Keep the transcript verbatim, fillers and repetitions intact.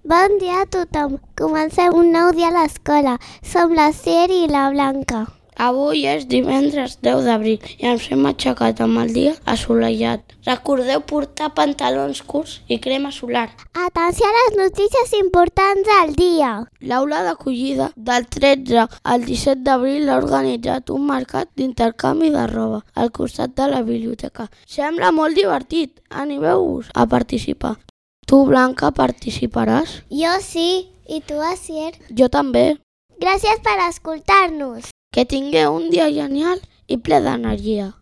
Bon dia a tothom. Comencem un nou dia a l'escola. Som la Cier i la Blanca. Avui és divendres deu d'abril i ens hem aixecat amb el dia assolellat. Recordeu portar pantalons curts i crema solar. Atenció a les notícies importants del dia. L'aula d'acollida del tretze al disset d'abril ha organitzat un mercat d'intercanvi de roba al costat de la biblioteca. Sembla molt divertit. Animeu-vos a participar. Tu, Blanca, participaràs? Jo sí. I tu, Asier? Jo també. Gràcies per escoltar-nos. Que tingueu un dia genial i ple d'energia.